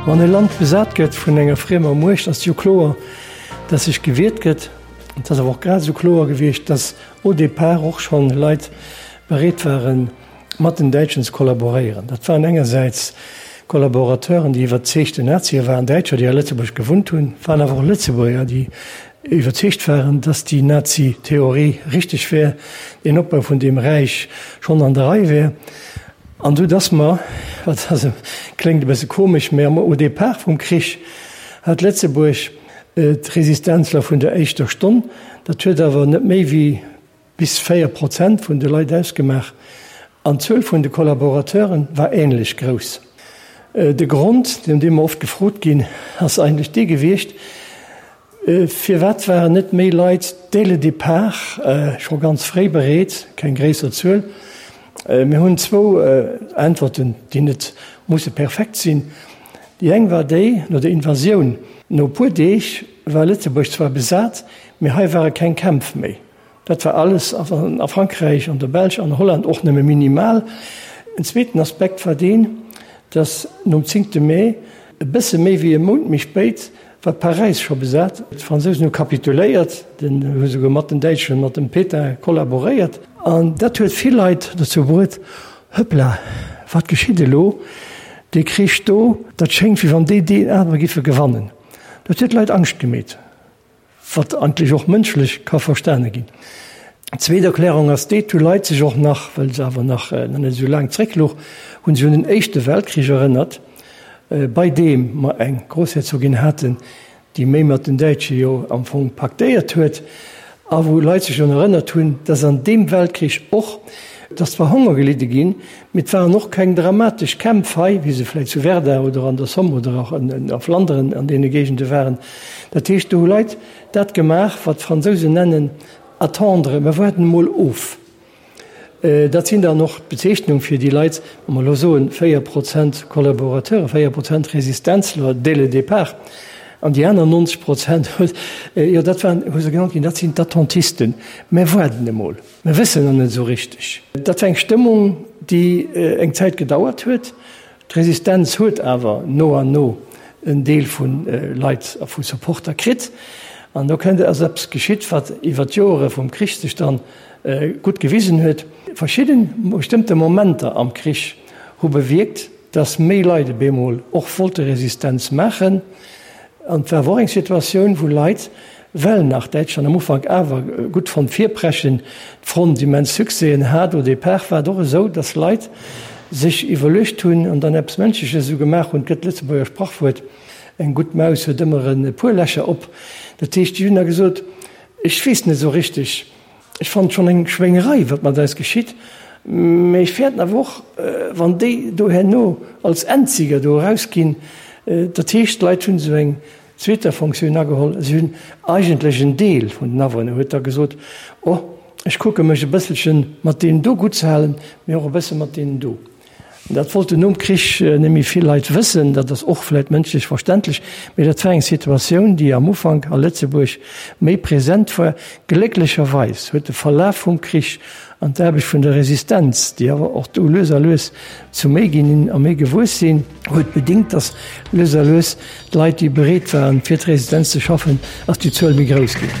Wann e Land besat gëtt vun enger friemer Muecht, ass et jo kloer, dass sech gewiert gëtt. Et ass awer och grad esou kloer gewiescht, dass au départ och schonn Leit bereet waren, mat den Däitschen ze kollaboréieren. Dat waren engersäits Kollaborateuren, déi iwwerzeegte Nazie waren, Däitscher, déi a Lëtzebuerg gewunnt hunn, waren awer och Lëtzebuerger, déi iwwerzeegt waren, dass déi Nazi-Theorie richteg wär, den Opbau vun deem Räich schonn an der Rei wär. An du dass mer, wat ass, kléngt e bësse komesch, mä am au départ vum Krich hat Lëtzebuerg d'Resistenzler vun der éischter Stonn, dat huet awer net méi wéi bis 4 Prozent vun de Leit ausgemaach an d'Zuel vun de Kollaborateure war änlech grouss. De Grond, no deem mer oft gefrot ginn, ass eigentlech dee gewiescht, Firwat waren net méi Leit dès le départ, scho ganz fréi bereet, keng gréisser Zuel? Mir hunn zwou Äntwerten, déi net musse perfekt sinn. Déi eng war déi, no der Invasioun, no e puer Deeg war Lëtzebuerg zwar besat, mee hei ware keng Kämpf méi. Dat war alles a Frankräich, an der Belsch, an Holland och nëmme minimal. En zweeten Aspekt war deen, datt nom zéngte Mee, e bësse méi wéi e Mount méi spéit, war Paräis scho besat. D'Fransousen hu kapituléiert, hu souguer mat den Däitschen, mat dem Pétain kollaboréiert. An dat huet vill Leit dozou bruet, Hëppla, wat geschitt elo? Dee Krich do, dat schéngt wéi wann déi deen anere giffe gewannen. Dat huet d'Leit Angscht gemeet. Wat eigentlech och mënschlech ka verstane ginn. Zweet Erklärung ass déi, et hu Leit sech och nach, well se awer nach net esou laang zrécklouch, hu sech un den Éischte Weltkrich erënnert, bei deem mer eng Groussherzogin haten, déi méi mat den Däitsche jo am Fong paktéiert huet, a wou Leit sech drun erënnert hunn, dass an deem Weltkrich och, et ass zwar Honger gelidde ginn, Mee et waren och keng dramatesch Kämpf hei, wéi se vläicht zu Verdun oder an der Somme oder och a Flanderen an deene Géigende waren. Dat heescht, do hu Leit dat gemaach, wat d'Fransousen nennen attendre, mer waarden emol of. Dat sinn dann och d'Bezeechnung fir déi Leit, wa mer elo soen, 4 Prozent Kollaborateuren, 4 Prozent Resistenzler dès le départ, an déi aner 90 Prozent, jo dat waren, hu se genannt ginn, dat sinn d'Attentisten, mer waarden emol. Mir wëssen nach net esou richteg. Dat war eng Stëmmung, déi eng Zäit gedauert huet. D'Resistenz huet awer no an no en Deel vu Leit a vu Supporter kritt. An do kënnt, ass eppes geschitt, wat iwwer d'Joere vum Krich sech dann gutt gewisen huet. Verschidden bestëmmte Momenter am Krich hu bewierkt, dass méi Leit op eemol och wollte Resistenz maachen. An et war awer och eng Situatioun, wou Leit, well nach Däitschland am Ufank awer gutt fonnt virpreschen, d'Front immens Succèsen hat, au départ war et och esou, dass Leit sech iwwerluecht hunn an dann eppes Mënschleches esou gemaach hunn, et gëtt d'Lëtzebuerger Sprachwuert, eng gutt Maus huet ëmmer e puer Lächer op. Dat heescht, déi hunn da gesot, ech weess net esou richteg, Ech fannen et schonn eng Schwéngerei, wat mat eis geschitt, mä ech fäerten awer och, wann déi do herno als Endsieger do erausginn. Dat heescht, d'Leit hunn esou eng zweeter Fonctioun ageholl. Si hunn eigentlech en Deel vun den Awunner huet da gesot, Oh, ech kucke mech e bësselche mat deenen do gutt ze halen, mä och e bësse mat deenen do. Dat wollten nom Krich net méi vill Leit wëssen. Dat ass och vläit mënschlech verständlech, mee dat war eng Situatioun, déi am Ufank a Lëtzebuerg méi present war. Glécklecherweis huet de Verlaf vum Krich an d'Aarbecht vun der Resistenz, déi awer och do lues a lues zu méi ginn a méi gewuess sinn, huet bedingt, datt lues a lues D'Leit, déi bereet waren, fir d'Resistenz ze schaffen, ass déi Zuel méi grouss ginn.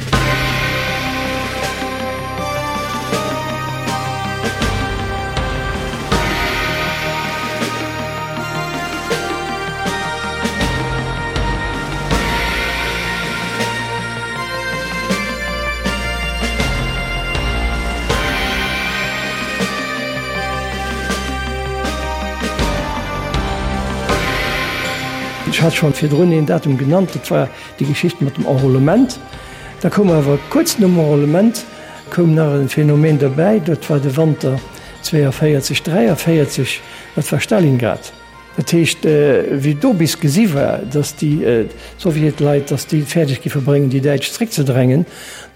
Ech hat schonn virdrun een Datum genannt, dat war déi Geschicht mat dem Enrôlement. Da koum awer kuerz nom Enrôlement koum nach e Phänomen derbäi, dat war de Wanter 42, 43, dat war Stalingrad. Dat heescht, wéi do bis gesi war, datt déi Sowjetleit, datt déi et fäerdeg giffe bréngen, déi Däitsch zréckzedrängen,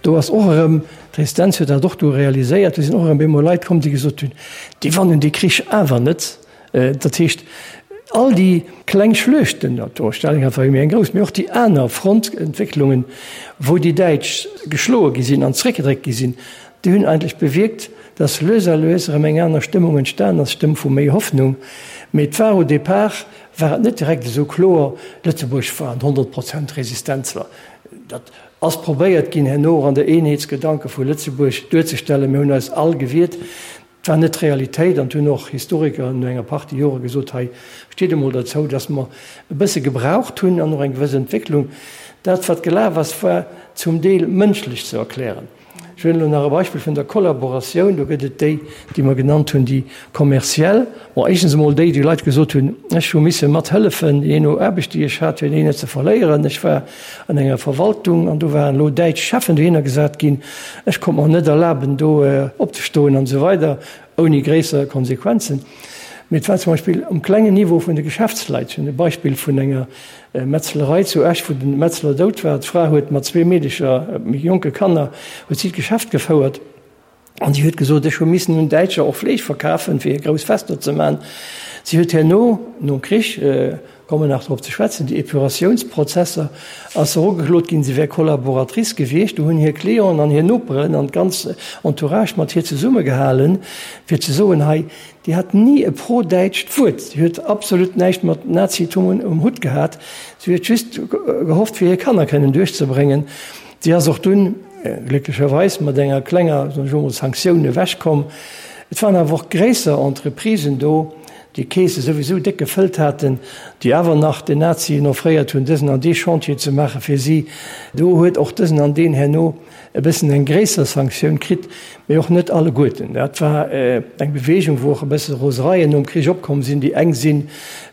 do ass och erëm, d'Resistenz huet dat och do realiséiert, do sinn och erëm bemol Leit komm, déi gesot hunn, déi wannen dee Krich awer net. Dat heescht, all déi kleng Schluechten, Stalingrad war jo méi eng grouss, mee och déi aner Frontentwécklungen, wou déi Däitsch geschloe gi sinn an zréckgedréckt gi sinn, déi hunn eigentlech bewierkt, datt lues a lues erëm eng aner Stëmmung entstan ass, Stëmm vu méi Hoffnung. Mee et war au départ. War et net direkt esou kloer, Lëtzebuerg war en 100 Prozent Resistenzler. Dat ass probéiert ginn herno och an der Eenheetsgedanke vu Lëtzebuerg duerzestellen. Mir hunn eis all gewiert. Et war net d'Realitéit an et hunn och Historiker no enger Partie Jore gesot, hei steet emol derzou, datt mer e bësse gebraucht hunn an och eng gewëss Entwécklung. Dat wat gelaf ass, war zum Deel mënschlech ze erklären. Ech huelen elo nach e Beispill vun der Kollaboratioun. Do gëtt et déi, déi mer genannt hunn, déi kommerziell. Bon, éischtens emol déi, déi Leit gesot hunn, ech hu misse mathëllefen, jee no Aarbecht, déi ech hat, fir déi net ze verléieren. Ech war an enger Verwaltung an do waren elo däitsch Cheffen dohinner gesat ginn. Ech konnt mer net erlaben, do opzestoen an esou weider, ouni gréisser Konsequenzen. Mee et war zum Beispill um klengen Niveau vun de Geschäftsleit. Ech hunn e Beispill vun enger Metzlerei zu Esch, wou den Metzler dout war. D'Fra huet mat zwee Meedecher, méi jonke Kanner, huet si d'Geschäft gefouert. An si huet gesot, ech hu missen un Däitscher och Fleesch verkafen, fir grouss Fester ze man. Si huet herno, nom Krich, komme nach drop ze schwätzen, déi Epuratiounsprozesser, ass se erugeklot ginn, si wär Kollaboratrice gewiescht. Do hunn hir Clienten an hir Noperen an d'ganz Entourage mat hir zesummegehalen, fir ze soen, hei, Déi hat ni e pro-däitscht Wuert. Si huet absolut näischt mat Nazitum um Hutt gehat. Si huet just gehofft, fir hir Kanner kënnen duerchzebréngen. Si ass och dunn, glécklecherweis, mat enger klenger, soen ech elo mol, Sanktioun ewechkomm. Et waren awer och gréisser Entreprisen do, déi d'Keese souwisou déck gefëllt haten, déi awer nach den Nazien offréiert hunn, dësen an dee Chantier ze maache fir si. Do huet och dësen an deen herno e bëssen eng gréisser Sanktioun kritt, mee och net alleguerten. Dat war eng Beweegung, wou och e bësse Rosereien nom Krich opkomm sinn. Déi eng si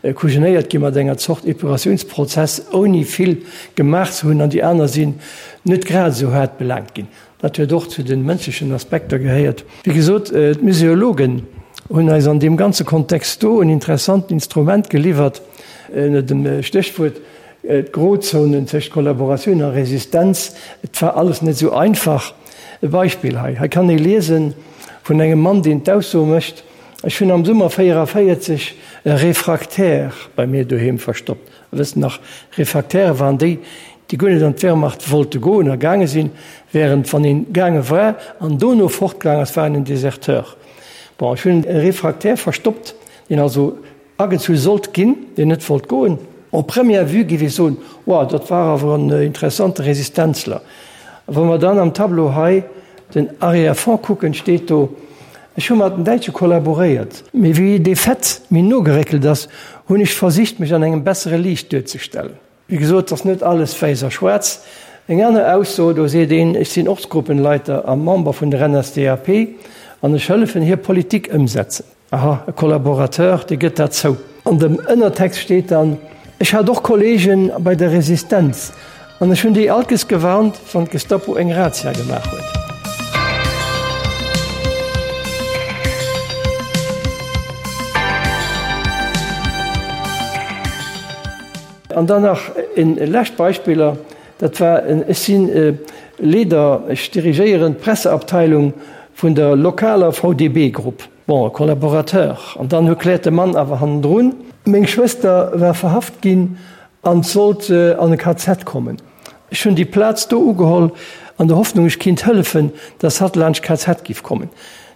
kujenéiert gi mat enger Zort Epuratiounsprozess, ouni vill gemaach ze hunn, an déi aner sinn net grad esou haart belaangt ginn. Dat huet och zu de mënschlechen Aspekter gehéiert. Wéi gesot, d'Museologen hunn eis an deem ganze Kontext do en interessanten Instrument geliwwert ënner dem Stéchwuert D'Grozonen tëscht Kollaboratioun a Resistenz, et war alles net esou einfach. E Beispill hei, hei kann ee liesen vun engem Mann, deen d'Ausso mécht, Ech hunn am Summer 44 e Refraktaire bei mir doheem verstoppt. Der wësst nach, Refraktäre waren déi, déi guer net an d'Wehrmacht wollte goen a gaange sinn, während wann een gaange war an dono fortgaang ass, war een en Deserteur. Bon, ech hunn e Refraktaire verstoppt, deen also Agezu sollt ginn, deen net wollt goen. En première vue géif ee soen, Wow, dat war awer en interessante Resistenzler. Wa mer dann am Tableau hei den Arrière-fond kucken, steet do, Ech hu mat den Däitsche kollaboréiert. Mee wéi dee Fait méi no geréckelt ass, hunn ech versicht, mech an engem bessere Liicht duerzestellen. Wéi gesot, et ass net alles wäiss a schwaarz. Eng aner Ausso, do seet een, Ech sinn Ortsgruppenleiter a Member vun der NSDAP an ech hëllefen hir Politik ëmsetzen. Aha, e Collaborateur, dee gëtt dat zou. An dem Ënnertext steet dann, Ech hat och Kollegen bei der Resistenz an ech hunn déi alkes gewarnt, wann d'Gestapo eng Razzia gemaach huet. An dann nach e lescht Beispiller, dat war, ech si Leader, ech dirigéieren d'Presseabteilung vun der lokaler VDB-Grupp. Bon, e Collaborateur. An dann erkläert de Mann awer hannendrun. Meng Schwëster war verhaft ginn an sollt an e KZ kommen. Ech hunn déi Plaz do ugeholl an der Hoffnung, ech kinnt hëllefen, dass hatt laanscht KZ giff kommen.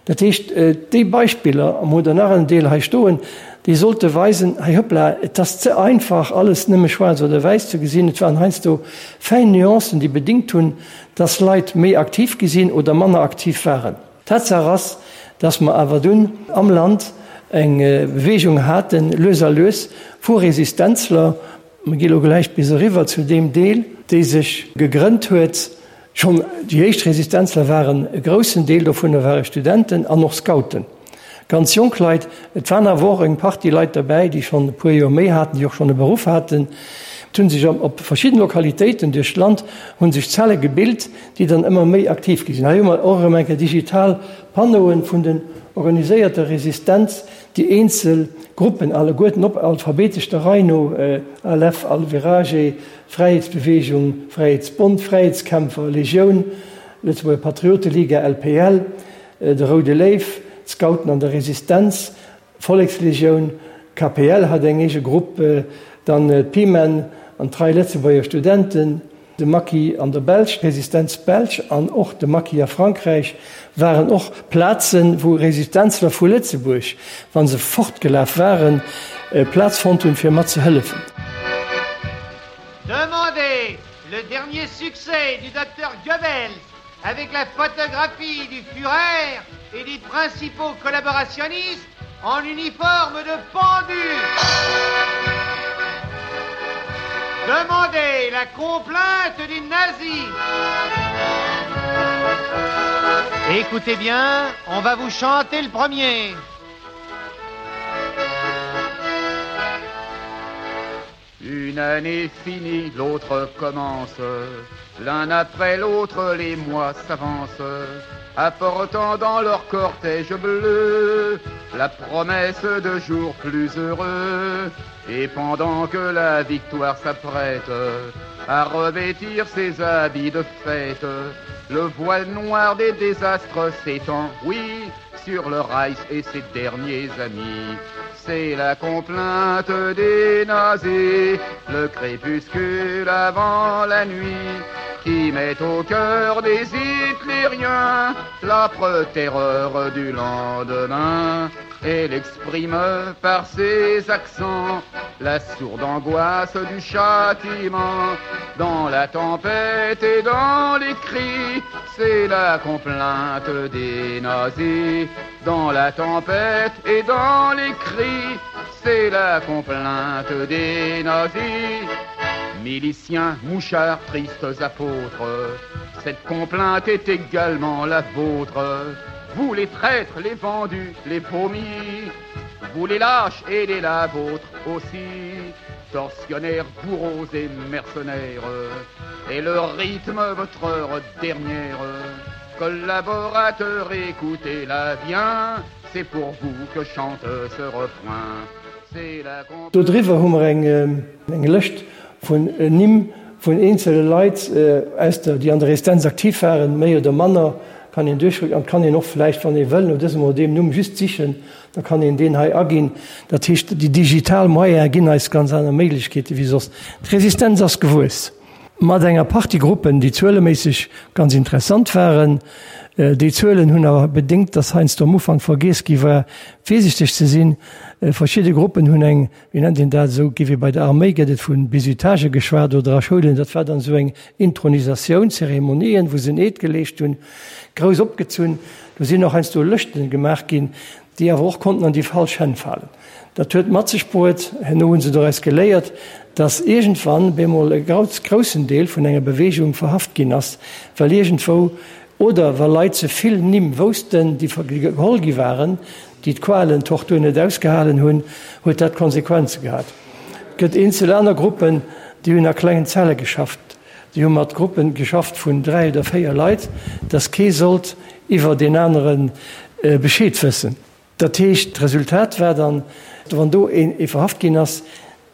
Dat heescht, déi Beispiller, a mer hunn der nach en Deel hei stoen, déi sollte weisen, hei hoppla, et ass ze einfach, alles nëmme schwaarz oder wäiss ze gesinn. Et waren heiansdo fäin Nuancen, déi bedingt hunn, dass Leit méi aktiv gi sinn oder manner aktiv waren. Tatsaach ass, dass mer awer dunn am Land eng Bewegung haten, lues a lues, vu Resistenzler, mer gi lo gläich bis eriwwer zu deem Deel, déi sech gegrënnt huet. Schonn déi éischt Resistenzler waren, e groussen Deel dovunner ware Studenten an och Scouten, ganz jonk Leit. Et waren awer och eng Partie Leit derbäi, déi schonn e puer Joer méi haten, déi och schonn e Beruff haten. Et hu sech op verschidden Lokalitéiten duerch d'Land hu sech Zelle gebilt, déi dann ëmmer méi aktiv gi sinn. Hei hu mer och erëm eng Kéier digital Panneauen vun den organiséierter Resistenz, déi eenzel Gruppen alleguerten op alphabetesch der Rei no, ALF, Alvirage, Fräiheetsbewegung, Fräiheetsbond, Fräiheetskämpfer, Legioun, Lëtzebuerger Patrioteliga, LPL, de Roude Léiw, d'Scouten an der Resistenz, Vollekslegioun, KPL hat eng eege Grupp, dann d'Pimen an d'Trei Lëtzebuerger Studenten. De Maquis an der Belsch, d'Resistenz belsch an och de Maquis a Frankräich waren och Plazen, wou Resistenzler vu Lëtzebuerg, wa se fortgelaf waren, Plaz fonnt hunn, fir mat ze hëllefen. Demandez le dernier succès du docteur Goebbels avec la photographie du Führer et des principaux collaborationnistes en uniforme de pendu. Demandez la complainte des nazis. Écoutez bien, on va vous chanter le premier. Une année finie, l'autre commence. L'un après l'autre, les mois s'avancent, apportant dans leur cortège bleu la promesse de jours plus heureux. Et pendant que la victoire s'apprête à revêtir ses habits de fête, le voile noir des désastres s'étend, oui, sur le Reich et ses derniers amis. C'est la complainte des nazis, le crépuscule avant la nuit, qui met au cœur des hitlériens l'âpre terreur du lendemain. Elle exprime par ses accents la sourde angoisse du châtiment. Dans la tempête et dans les cris, c'est la complainte des nazis. Dans la tempête et dans les cris, c'est la complainte des nazis. Miliciens, mouchards, tristes apôtres, cette complainte est également la vôtre. Vous les traîtres, les vendus, les vomis, vous les lâches et les la vôtre aussi, tortionnaires, bourreaux et mercenaires, et le rythme votre heure dernière. Collaborateurs, écoutez-la bien, c'est pour vous que chante ce refrain. C'est la Do driwwer hu mer eng eng Lëscht vun Nimm vun eenzele Leit aus der, déi an der Resistenz aktiv waren, méi oder manner, kann een duerchkucken an kann een och vläicht, wann ee wëll, no dësem oder deem Numm just sichen, da kann een deen hei aginn. Dat heescht, déi digital Moyene ginn eis ganz aner Méiglechkeete wéi soss. D'Resistenz ass gewuess mat enger Partie Gruppen, déi zueleméisseg ganz interessant waren. Déi Zuelen hunn awer bedéngt, dass heiansdo am Ufank vergiess gi war, virsichteg ze sinn. Verschidde Gruppen hunn eng Wéi nennt een dat, esou gi wéi bei der Arméi gëtt et vu Bisutage geschwat oder a Schoulen, dat war dann esou eng Intronisatioun, Zeremonien, wou se en Eed geleescht hunn, grouss opgezunn. Do sinn och heiansdo Lëschten gemaach ginn, déi awer och konnten an déi falsch Hänn falen. Dat huet mat sech bruet, herno hu se doraus geléiert, dass iergendwann bemol e groussen Deel vun enger Beweegung verhaft ginn ass, well iergendwou oder wa Leit ze vill Nimm woussten, déi geholl gi waren, déi d'Qualen, d'Tortur net ausgehalen hunn, huet dat Konsequenze gehat. Et gëtt eenzel aner Gruppen, déi hunn a klengen Zelle geschafft, déi hu mat Gruppen geschafft vun 3 oder 4 Leit, dass kee sollt iwwer deen anere Bescheed wëssen. Dat heescht, d'Resultat war dann, wann do ee verhaft ginn ass,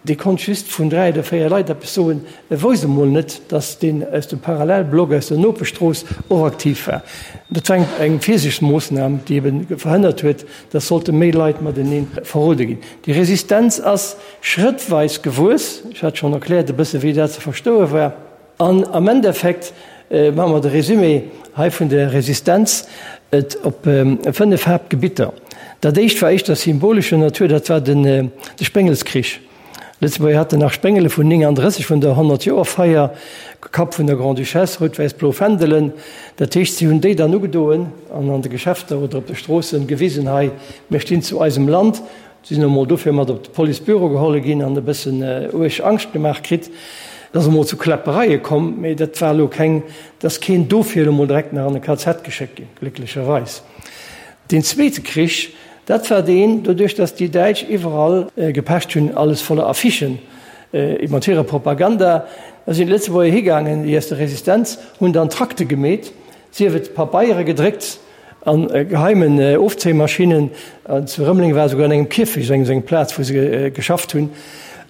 Dee konnt just vun 3 oder 4 Leit eppes soen. E wousst emol net, datt deen aus dem Parallelblock aus der Nopeschstrooss och aktiv war. Dat war eng Virsiichtsmoossnam, déi ebe verhënnert huet, datt sollte méi Leit matenee verrode ginn. Déi Resistenz ass schrëttweis gewuess. Ech hat schonn erkläert e bësse wéi dat ze verstoe war. An am Endeffekt maache mer de Résumé hei vun der Resistenz et op 5 Haaptgebitter. Dat éischt war éischter symbolescher Natur, dat war de Spéngelskrich. Lëtzebuerger haten nach Spéngele vun 39, vun der Honnertjoerfeier, Kapp vun der Grande-Duchesse, rout-wäiss-blo Fändelen. Dat heescht, si hunn déi dann ugedoen an an de Geschäfter oder op de Stroossen gewisen, hei, mir stinn zu eisem Land. Si sinn emol dofir mat op de Policebüro geholle ginn an e bëssen uerg Angscht gemaach kritt. Et ass emol zu Kläppereie komm, mee dat war elo keng, et ass keen dofir elo mol direkt nach an e KZ geschéckt ginn, glécklecherweis. Deen zweete Krich, dat war deen, doduerch datt déi Däitsch iwwerall gepecht hunn, alles voller Affichen mat hirer Propaganda, da sinn d'Lëtzebuerger higaangen, déi aus der Resistenz, hunn dann Trakte gemeet, sief et Pabeiere gedréckt, A geheimen Ofzéimaschinnen. Zu Rëmeleng war esouguer an engem Kierfecht esou eng Plaz, wou se geschafft hunn.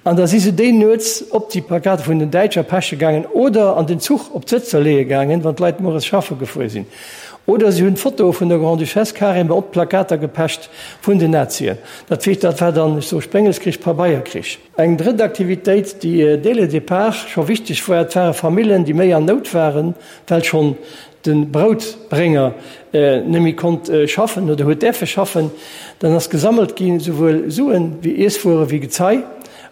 An da si se déi nuets op déi Plakate vun den Däitscher peche gaangen oder an den Zuch op d'Sëtzer leeë gaangen, wann d'Leit mueres schaffe gefuer sinn. Oder si hunn d'Fotoe vun der Grande-Duchesse carrément op d'Plakater gepecht vun den Nazien. Dat heescht, dat war dann, ech soe Sprengelkrich, Pabeierkrich. Eng drëtt Aktivitéit, déi dès le départ scho wichteg war, dat ware Famillen, déi méi an Nout waren, well schonn de Broutbrénger net méi konnt schaffen oder huet däerfe schaffen. Dann ass gesammelt ginn, souwuel Suen wéi Iesswuere wéi Gezei,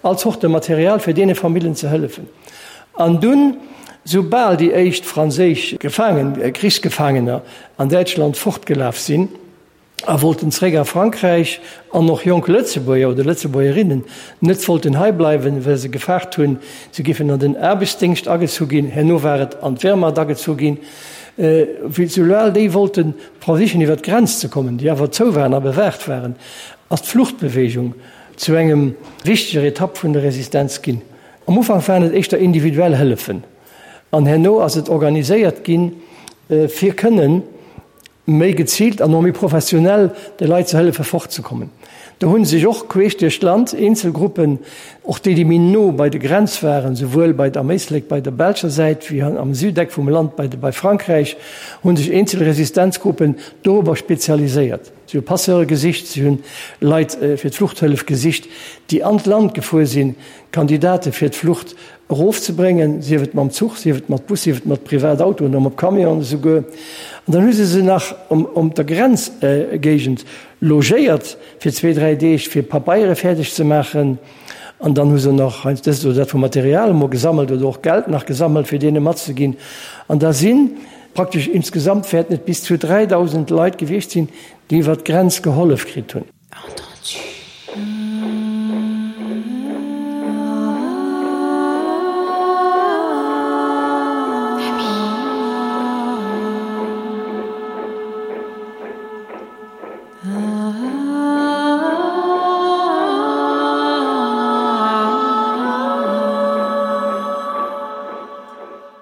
all Zorte Material, fir deene Famillen ze hëllefen. An dunn, soubal déi éischt franséisch Gefaangen, Krichsgefaangener an Däitschland fortgelaf sinn a wollten zréck a Frankräich, an och jonk Lëtzebuerger oder Lëtzebuergerinnen net wollten hei bleiwen, well se gefaart hunn, se géifen an den Aarbechtsdéngscht agezu ginn, herno war et an d'Wehrmacht agezu ginn, wéi soubal déi wollten versichen iwwer d'Grenz ze kommen, déi awer zou waren a bewaacht waren, ass d'Fluchtbewegung zu engem wichteger Etapp vun der Resistenz ginn. Am Ufank waren et éischter individuell Hëllefen an herno ass et organiséiert ginn, fir kënnen méi geziilt an och méi professionell de Leit ze hëllefe fortzekommen. Do hu sech och queesch duerch d'Land eenzel Gruppen, och déi, déi méi no bei de Grenz waren, souwuel bei am Éislek bei der belscher Säit wéi am Südeck vum Land bei bei Frankräich, hu sech eenzel Resistenzgruppen dorobber spezialiséiert. Si hu Passeure gesicht, si hunn Leit fir d'Fluchthëllef gesicht, déi an d'Land gefuer sinn, Kandidate fir d'Flucht erofzebréngen, sief et mam Zuch, sief et mat Bus, sief et mat Privatautoen oder mat Camionen esouguer. An dann hu se se nach um der Grenzgéigend logéiert fir zwee, dräi Deeg, fir Pabeiere fäerdeg ze maachen. An dann hu se nach heiansdo dëst oder dat vu Material emol gesammelt oder och Geld nach gesammelt, fir deene matzeginn. An da si praktesch insgesamt wäerten et bis zu 3.000 Leit gewiescht sinn, déi iwwer d'Grenz gehollef kritt hunn.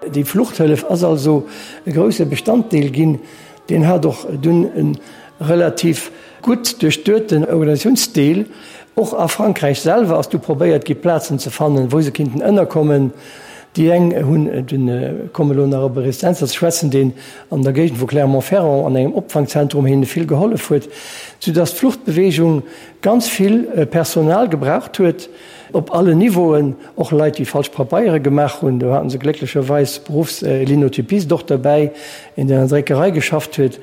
Déi Fluchthëllef ass also e grousse Bestanddeel ginn. Deen hat och dunn e relativ gutt duerchdueten Organisatiounsdeel. Och a Frankräich selwer ass du probéiert gi Plazen ze fannen, wou se kinnten ënnerkommen. Déi eng hunn dunn, komme elo nach op e Resistenzer ze schwätzen, deen an der Géigend vu Clermont-Ferrand an engem Opfangzentrum hinne vill gehollef huet, soudass d'Fluchtbewegung ganz vill Personal gebraucht huet. Op allen Niveauen, och Leit, déi falsch Pabeiere gemaach hunn. Do haten se glécklecherweis Beruffs-Linotypist och derbäi, een, deen an der Dréckerei geschafft huet.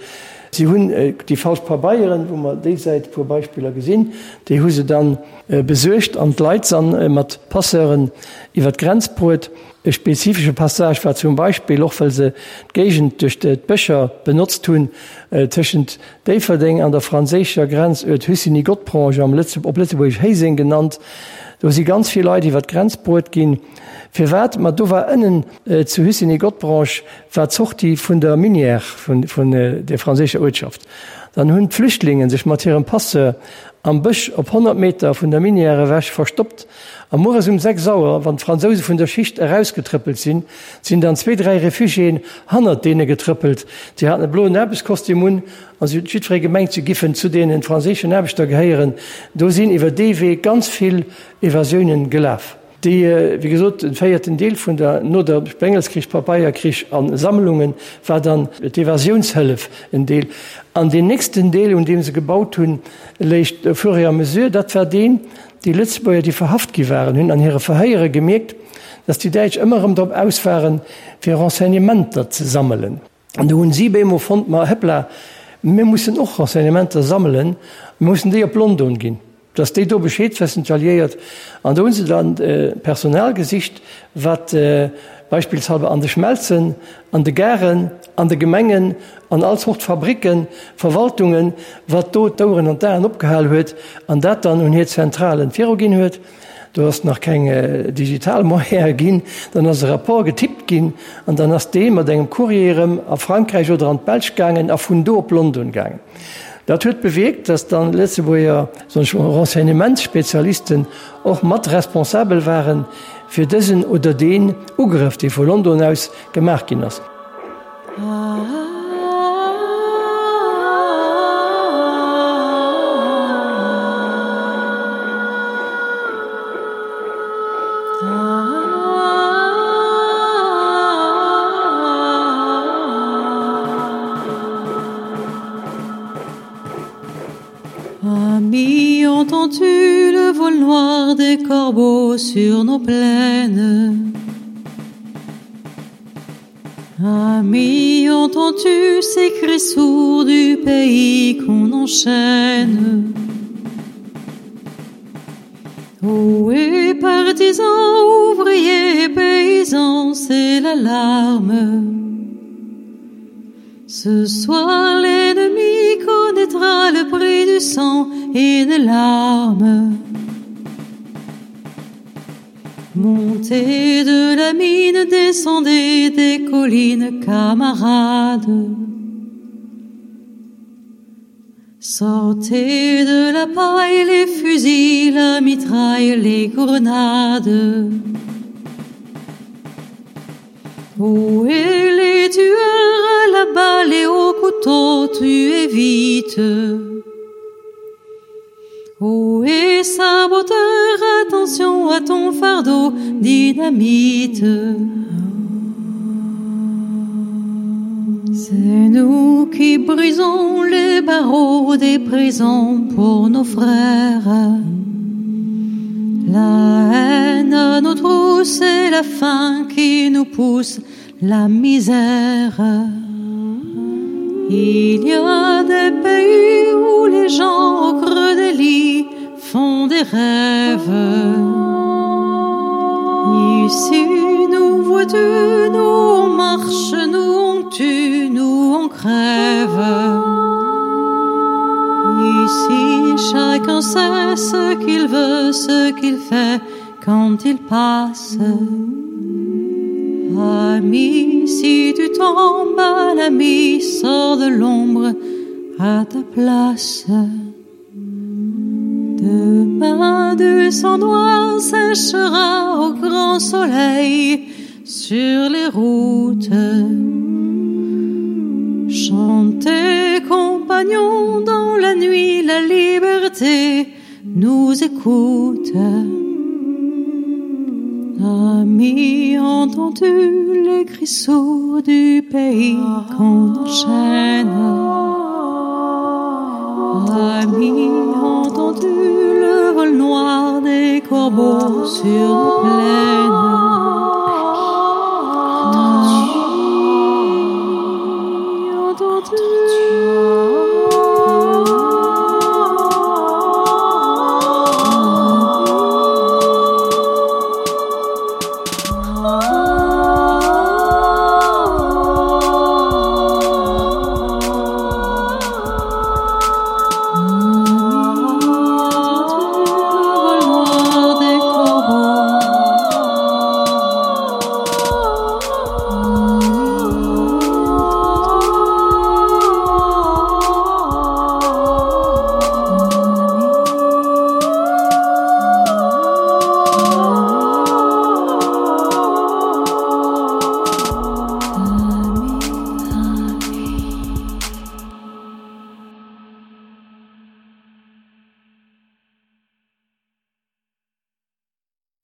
Si hunn déi falsch Pabeieren, wou mer déi Säit e puer Beispiller gesinn, déi hu se dann besuergt an d'Leit san mat Passeuren iwwer d'Grenz bruet. E spezifesche Passage war zum Beispill, och well se d'Géigend duerch d'Bëscher benotzt hunn, tëschent Déifferdeng an der franséischer Grenzuert Hussigny-Godprange, am op Lëtzebuergesch Héiseng genannt. Do si ganz vill Leit iwwer d'Grenz bruet ginn. Firwat? Ma do war ënnen zu Hussigny-Godprange war d'Sortie vun der Minière vun der franséischer Uertschaft. Dann hunn d'Flüchtlinge sech mat hirem Passeur am Bësch op 100 Meter vun der Minière ewech verstoppt. A mueres um 6 Auer, wann d'Fransouse vun der Schicht erausgetrëppelt sinn, sinn dann zwee, dräi Refugiéen hannert deene getrëppelt. Si haten e bloen Aarbechtskostüm un a si huet jiddweree gemengt, si giffen zu deene franséischen Aarbechter gehéieren. Do sinn iwwer dee Wee ganz vill Evasiounen gelaf. Déi, wéi gesot, den véierten Deel vun der, no der Sprengelskrich, Papeierkrich a Sammlungen, war dann d'Evasiounshëllef en Deel. An deen nächsten Deel, un deem se gebaut hunn, léicht au fur et à mesure, dat war deen, Déi Lëtzebuerger, déi verhaft gi waren, hunn an hire Verhéiere gemierkt, datt déi Däitsch ëmmer erëm drop aus waren, fir Renseignementer ze sammelen. An do hunn si bemol fonnt, ma hëppla, mir mussen och Renseignementer sammelen, mir mussen déi op London ginn, datt déi do Bescheed wëssen, d'Alliéiert. An do hu se dann Personal gesicht, wat beispillshalber an de Schmelzen, an de Garen, an de Gemengen, an all Zort Fabricken, Verwaltungen, wat do d'Oueren an d'Aen opgehal huet an dat dann un hir Zentralen viruginn huet. Do ass nach keng digital Moyene ginn. Dann ass e Rapport getippt ginn an dann ass dee mat engem Courrier erëm a Frankräich oder an d'Belsch gaangen a vun do op London gaangen. Dat huet bewierkt, dass dann Lëtzebuerger, soen ech mol, Renseignementsspezialisten och mat responsabel waren fir dësen oder deen Ugrëff, dee vu London aus gemaach ginn ass. corbeaux sur nos plaines. Amis, entends-tu ces cris sourds du pays qu'on enchaîne? Oh, et partisans, ouvriers, paysans, c'est l'alarme. Ce soir, l'ennemi connaîtra le prix du sang et des larmes. Montez de la mine, descendez des collines, camarades. Sortez de la paille les fusils, la mitraille, les grenades. Où est les tueurs à la balle et au couteau, tuez vite. Où est saboteur, attention à ton fardeau, dynamite. C'est nous qui brisons les barreaux des prisons pour nos frères. La haine à nos trousses et la faim qui nous pousse la misère. Il y a des pays où les gens au creux des lits font des rêves. Ici nous vois-tu, nous on marche, nous on tue, nous on crève. Ici chacun sait ce qu'il veut, ce qu'il fait quand il passe. Ami, si tu tombes à l'ami, sors de l'ombre à ta place. Demain du sang noir séchera au grand soleil sur les routes. Chantez, compagnons, dans la nuit, la liberté nous écoute. Amis, entends-tu les cris sourds du pays qu'on enchaîne? Amis, entends-tu le vol noir des corbeaux sur nos plaines?